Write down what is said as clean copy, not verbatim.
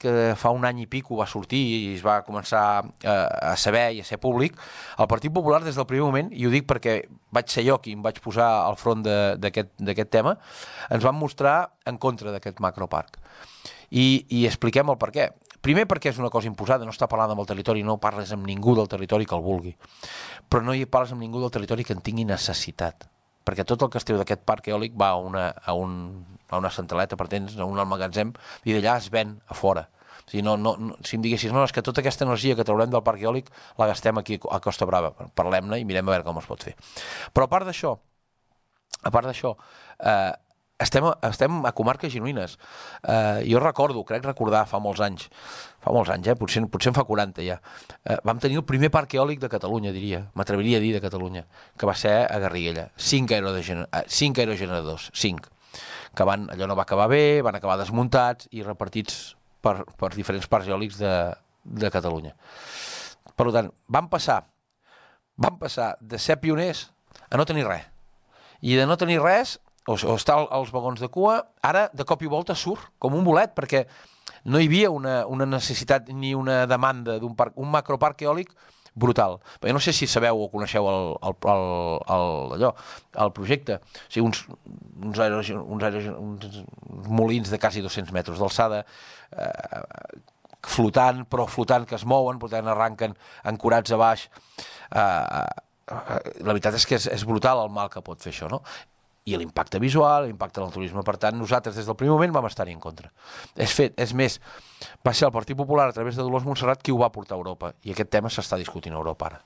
que fa un any i pico va sortir i es va començar a saber i a ser públic, el Partit Popular des del primer moment, i ho dic perquè vaig ser jo qui em vaig posar al front d'aquest tema, ens van mostrar en contra d'aquest macroparc. I expliquem el per què. Primer perquè és una cosa imposada, no està parlant amb el territori, no parles amb ningú del territori que el vulgui, però no hi parles amb ningú del territori que en tingui necessitat, perquè tot el que es treu d'aquest parc eòlic va a una centraleta, per temps, a un almagatzem, i d'allà es ven a fora. O sigui, si em diguessis, no, és que tota aquesta energia que traurem del parc eòlic la gastem aquí a Costa Brava, parlem-ne i mirem a veure com es pot fer. Però a part d'això, estem a comarques gironines. Jo crec recordar fa molts anys, potser en fa 40 ja, vam tenir el primer parc eòlic de Catalunya, m'atreviria a dir de Catalunya, que va ser a Garriguella, 5 aerogeneradors, 5, que allò no va acabar bé, van acabar desmuntats i repartits per diferents parcs eòlics de Catalunya. Per tant, vam passar de ser pioners a no tenir res, i de no tenir res o estar als vagons de cua, ara de cop i volta surt com un bolet, perquè no hi havia una necessitat ni una demanda d'un macroparc eòlic brutal. Però jo no sé si sabeu o coneixeu el projecte. O sigui, uns molins de quasi 200 metres d'alçada, flotant que es mouen, per tant arranquen ancorats a baix. La veritat és que és brutal el mal que pot fer això, no? I l'impacte visual, l'impacte en el turisme. Per tant, nosaltres des del primer moment vam estar-hi en contra. És més, va ser el Partit Popular a través de Dolors Montserrat qui ho va portar a Europa, i aquest tema s'està discutint a Europa ara.